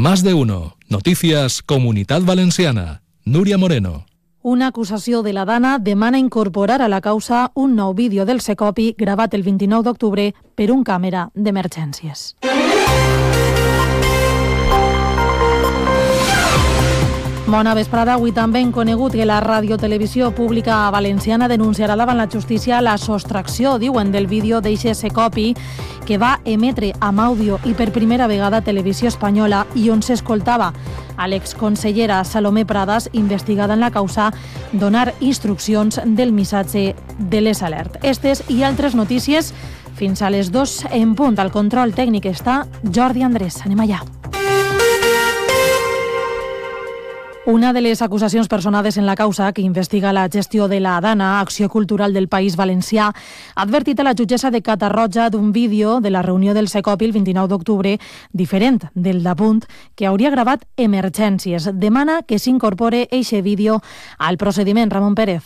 Más de uno. Noticias Comunitat Valenciana. Núria Moreno. Una acusació de la Dana demana incorporar a la causa un nou vídeo del Secopi gravat el 29 d'octubre per un càmera d'emergències. Bona vesprada. Avui també hem conegut que la Radiotelevisió Pública Valenciana denunciarà davant la justícia la sostracció, diuen, del vídeo d'eixe Secopi que va emetre amb àudio i per primera vegada a Televisió Espanyola i on s'escoltava a l'exconsellera Salomé Pradas, investigada en la causa, donar instruccions del missatge de les alert. Estes i altres notícies fins a les 2 en punt. Al control tècnic està Jordi Andrés. Anem allà. Una de les acusacions personades en la causa que investiga la gestió de la Dana, Acció Cultural del País Valencià, ha advertit a la jutgessa de Catarroja d'un vídeo de la reunió del Secopi el 29 d'octubre diferent del d'Apunt, que hauria gravat emergències. Demana que s'incorpore eixe vídeo al procediment. Ramon Pérez.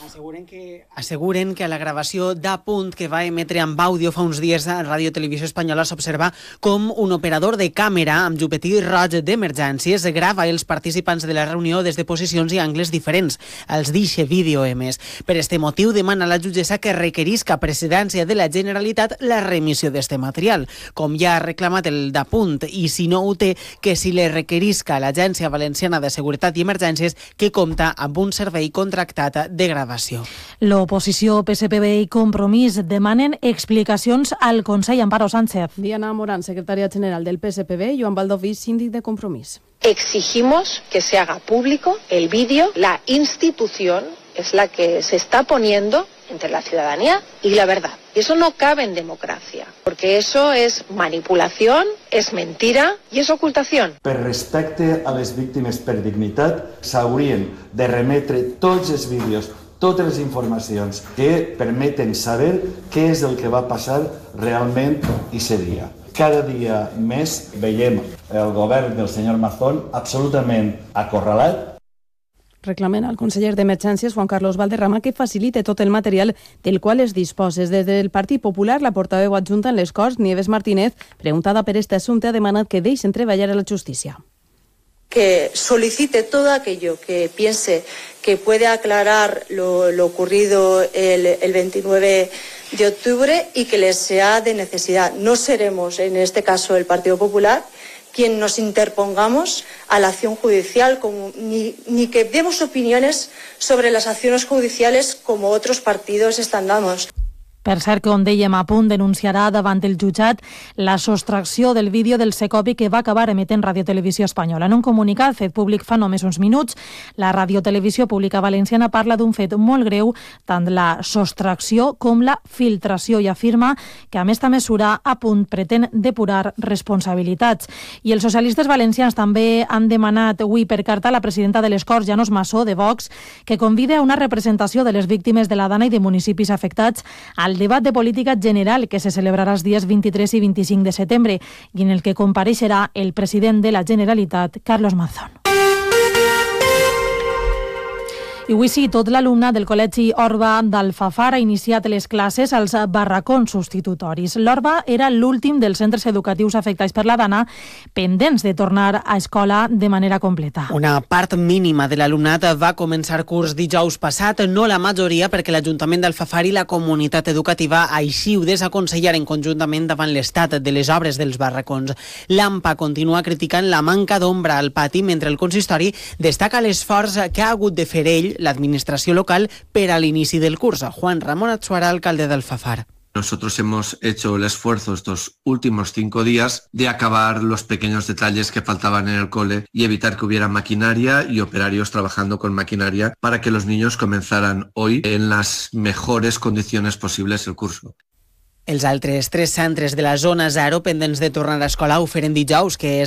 Asseguren que a la gravació d'Apunt que va emetre amb àudio fa uns dies a Ràdio Televisió Espanyola s'observa com un operador de càmera amb llupetí roig d'emergències grava els participants de la reunió des de posicions i angles diferents als d'eixe vídeo emès. Per este motiu demana a la jutgessa que requerisca a Presidència de la Generalitat la remissió d'este material, com ja ha reclamat el d'Apunt, i si no ho té, que si le requerisca a l'Agència Valenciana de Seguretat i Emergències, que compta amb un servei contractat de gravació. L'oposició, PSPB i Compromís demanen explicacions al Consell. Amparo Sánchez. Diana Morán, secretària general del PSPB, Joan Baldoví, síndic de Compromís. Exigimos que se haga público el vídeo. La institución es la que se está poniendo entre la ciudadanía y la verdad. Y eso no cabe en democracia, porque eso es manipulación, es mentira y es ocultación. Per respecte a les víctimes per dignitat, s'haurien de remetre tots els vídeos, totes les informacions que permeten saber què és el que va passar realment aquest dia. Cada dia més veiem el govern del senyor Mazón absolutament acorralat. Reclamen al conseller d'Emergències, Juan Carlos Valderrama, que facilite tot el material del qual es disposes. Des del Partit Popular, la portaveu adjunta en les Corts, Nieves Martínez, preguntada per este assumpte, ha demanat que deixen treballar a la justícia. Que solicite todo aquello que piense que puede aclarar lo ocurrido el 29 de octubre y que les sea de necesidad. No seremos, en este caso, el Partido Popular, quien nos interpongamos a la acción judicial, ni que demos opiniones sobre las acciones judiciales como otros partidos están dando. Per cert, com dèiem, Apunt denunciarà davant el jutjat la sostracció del vídeo del Secopi que va acabar emetent Radiotelevisió Espanyola. En un comunicat fet públic fa només uns minuts, la Radiotelevisió Pública Valenciana parla d'un fet molt greu, tant la sostracció com la filtració, i afirma que amb esta mesura Apunt pretén depurar responsabilitats. I els socialistes valencians també han demanat avui per carta a la presidenta de les Corts, Llanos Massó, de Vox, que convide a una representació de les víctimes de la Dana i de municipis afectats al debat de política general que se celebrarà els dies 23 i 25 de setembre i en el que compareixerà el president de la Generalitat, Carlos Mazón. I avui sí, tot l'alumnat del Col·legi Orba d'Alfafar ha iniciat les classes als barracons substitutoris. L'Orba era l'últim dels centres educatius afectats per la Dana, pendents de tornar a escola de manera completa. Una part mínima de l'alumnat va començar curs dijous passat, no la majoria, perquè l'Ajuntament d'Alfafar i la comunitat educativa així ho desaconsellaren conjuntament davant l'estat de les obres dels barracons. L'AMPA continua criticant la manca d'ombra al pati, mentre el consistori destaca l'esforç que ha hagut de fer ell, l'administració local, per a l'inici del curs. Juan Ramón Atsuara, alcalde de Alfafar. Nosotros hemos hecho el esfuerzo estos últimos 5 días de acabar los pequeños detalles que faltaban en el cole y evitar que hubiera maquinaria y operarios trabajando con maquinaria para que los niños comenzaran hoy en las mejores condiciones posibles el curso. Els altres 3 centres de la zona 0 pendents de tornar a escola ho feren dijous, que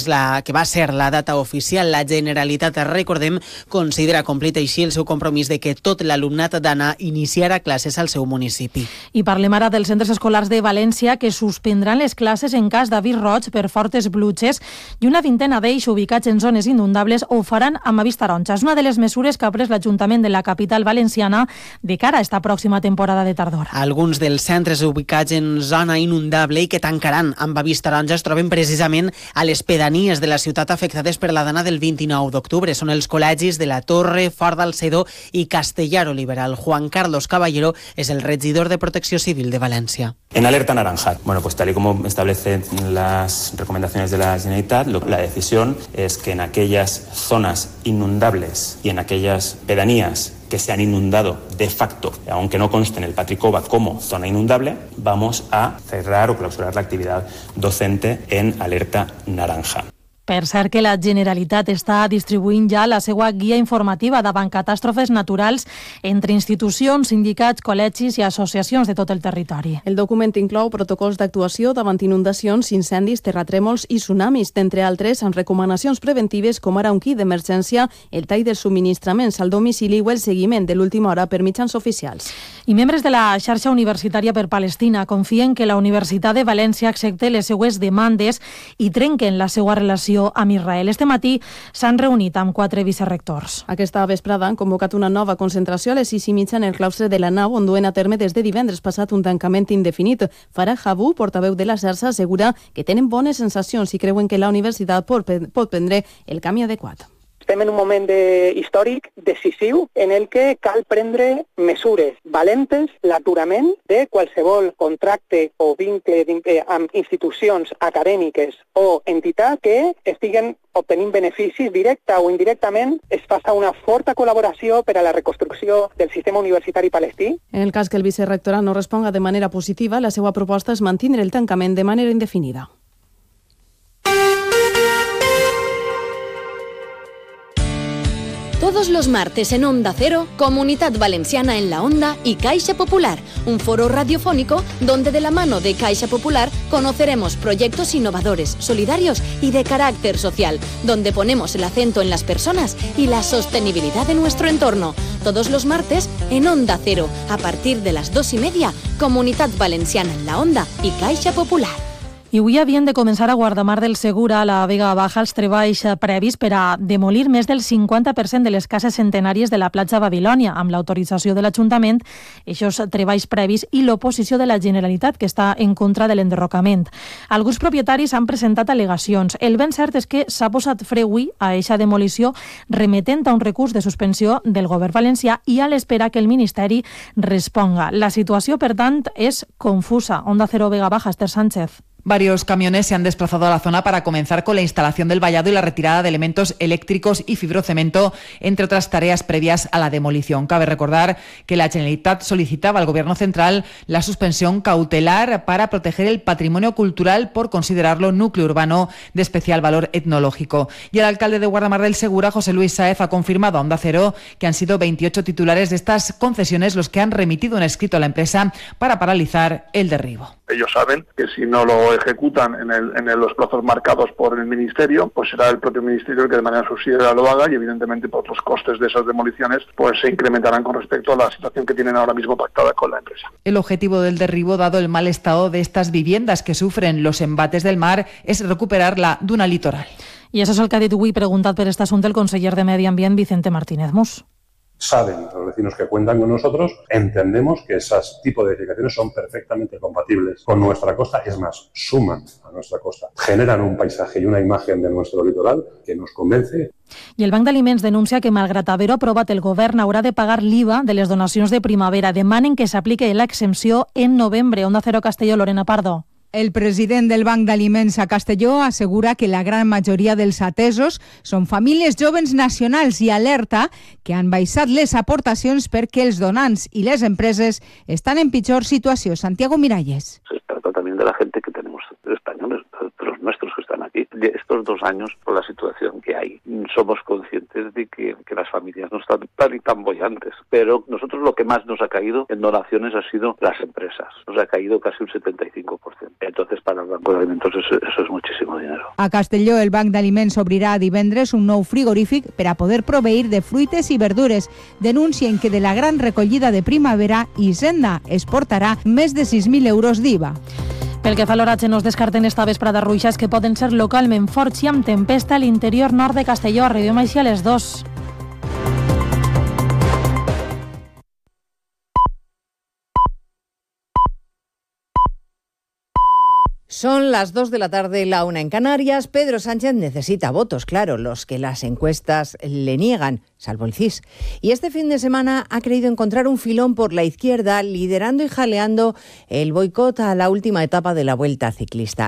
va ser la data oficial. La Generalitat, recordem, considera complit així el seu compromís de que tot l'alumnat d'Anna iniciarà classes al seu municipi. I parlem ara dels centres escolars de València, que suspendran les classes en cas d'avís roig per fortes pluges, i una vintena d'ells ubicats en zones inundables ho faran amb avís taronja. És una de les mesures que ha pres l'Ajuntament de la capital valenciana de cara a esta pròxima temporada de tardor. Alguns dels centres ubicats en en zona inundable i que tancaran amb avís taronja es troben precisament a les pedanies de la ciutat afectades per la dana del 29 d'octubre. Són els col·legis de la Torre, Fort d'Alcedó i Castellar Oliveral. Juan Carlos Caballero es el regidor de Protecció Civil de València. En alerta naranja, bueno, pues tal y como establecen las recomendaciones de la Generalitat, la decisión es que en aquellas zonas inundables y en aquellas pedanías que se han inundado de facto, aunque no conste en el Patricova como zona inundable, vamos a cerrar o clausurar la actividad docente en alerta naranja. Per cert que la Generalitat està distribuint ja la seva guia informativa davant catàstrofes naturals entre institucions, sindicats, col·legis i associacions de tot el territori. El document inclou protocols d'actuació davant inundacions, incendis, terratrèmols i tsunamis, d'entre altres, amb recomanacions preventives com ara un kit d'emergència, el tall de subministraments al domicili o el seguiment de l'última hora per mitjans oficials. I membres de la xarxa universitària per Palestina confien que la Universitat de València accepte les seues demandes i trenquen la seva relació amb Israel. Este matí s'han reunit amb 4 vicerrectors. Aquesta vesprada han convocat una nova concentració a les 6:30 en el claustre de la nau, on duen a terme des de divendres passat un tancament indefinit. Farah Habou, portaveu de la xarxa, assegura que tenen bones sensacions i creuen que la universitat pot prendre el camí adequat. Estem en un moment històric decisiu en el que cal prendre mesures valentes, l'aturament de qualsevol contracte o vincle amb institucions acadèmiques o entitats que estiguen obtenint beneficis directa o indirectament. Es faça una forta col·laboració per a la reconstrucció del sistema universitari palestí. En el cas que el vicerrectorat no responga de manera positiva, la seva proposta és mantenir el tancament de manera indefinida. Todos los martes en Onda Cero, Comunidad Valenciana en la Onda y Caixa Popular, un foro radiofónico donde de la mano de Caixa Popular conoceremos proyectos innovadores, solidarios y de carácter social, donde ponemos el acento en las personas y la sostenibilidad de nuestro entorno. Todos los martes en Onda Cero, a partir de las 2:30, Comunidad Valenciana en la Onda y Caixa Popular. I avui havien de començar a Guardamar del Segura, a la Vega Baja, els treballs previs per a demolir més del 50% de les cases centenàries de la platja Babilònia, amb l'autorització de l'Ajuntament, aquests treballs previs i l'oposició de la Generalitat, que està en contra de l'enderrocament. Alguns propietaris han presentat al·legacions. El ben cert és que s'ha posat fre avui a eixa demolició, remetent a un recurs de suspensió del govern valencià i a l'espera que el Ministeri responga. La situació, per tant, és confusa. Onda Cero Vega Baja, Esther Sánchez. Varios camiones se han desplazado a la zona para comenzar con la instalación del vallado y la retirada de elementos eléctricos y fibrocemento, entre otras tareas previas a la demolición. Cabe recordar que la Generalitat solicitaba al Gobierno central la suspensión cautelar para proteger el patrimonio cultural por considerarlo núcleo urbano de especial valor etnológico. Y el alcalde de Guardamar del Segura, José Luis Sáez, ha confirmado a Onda Cero que han sido 28 titulares de estas concesiones los que han remitido un escrito a la empresa para paralizar el derribo. Ellos saben que si no lo ejecutan en los plazos marcados por el Ministerio, pues será el propio Ministerio el que de manera subsidiaria lo haga y evidentemente pues, los costes de esas demoliciones pues se incrementarán con respecto a la situación que tienen ahora mismo pactada con la empresa. El objetivo del derribo, dado el mal estado de estas viviendas que sufren los embates del mar, es recuperar la duna litoral. I això és el que ha dit avui, preguntat per este assumpte, el conseller de Medi Ambient, Vicente Martínez Mus. Saben los vecinos que cuentan con nosotros, entendemos que esos tipos de edificaciones son perfectamente compatibles con nuestra costa, es más, suman a nuestra costa, generan un paisaje y una imagen de nuestro litoral que nos convence. I el Banc d'Aliments denuncia que, malgrat haver-ho aprovat, el govern haurà de pagar l'IVA de les donacions de primavera. Demanen que s'aplique l'exempció en novembre. Onda Cero Castelló, Lorena Pardo. El president del Banc d'Aliments a Castelló assegura que la gran majoria dels atesos són famílies joves nacionals i alerta que han baixat les aportacions perquè els donants i les empreses estan en pitjor situació. Santiago Miralles. Se trata también de la gente que tenemos españoles, de los nuestros que están aquí. De estos 2 años, por la situación que hay, somos conscientes de que las familias no están tan bollantes. Pero nosotros lo que más nos ha caído en donaciones ha sido las empresas. Nos ha caído casi un 75%. Entonces, para el Banco de Alimentos eso es muchísimo dinero. A Castelló, el Banc d'Aliments obrirà divendres un nou frigorífic per a poder proveir de fruites i verdures. Denuncien que de la gran recollida de primavera, Hisenda exportarà més de 6.000 euros d'IVA. Pel que fa a l'oratge, no es descarten esta vesprada ruixes que poden ser localment forts i amb tempesta a l'interior nord de Castelló. Arribem així a les 2. Son las 2 de la tarde, la 1 en Canarias. Pedro Sánchez necesita votos, claro, los que las encuestas le niegan, salvo el CIS. Y este fin de semana ha creído encontrar un filón por la izquierda, liderando y jaleando el boicot a la última etapa de la Vuelta Ciclista.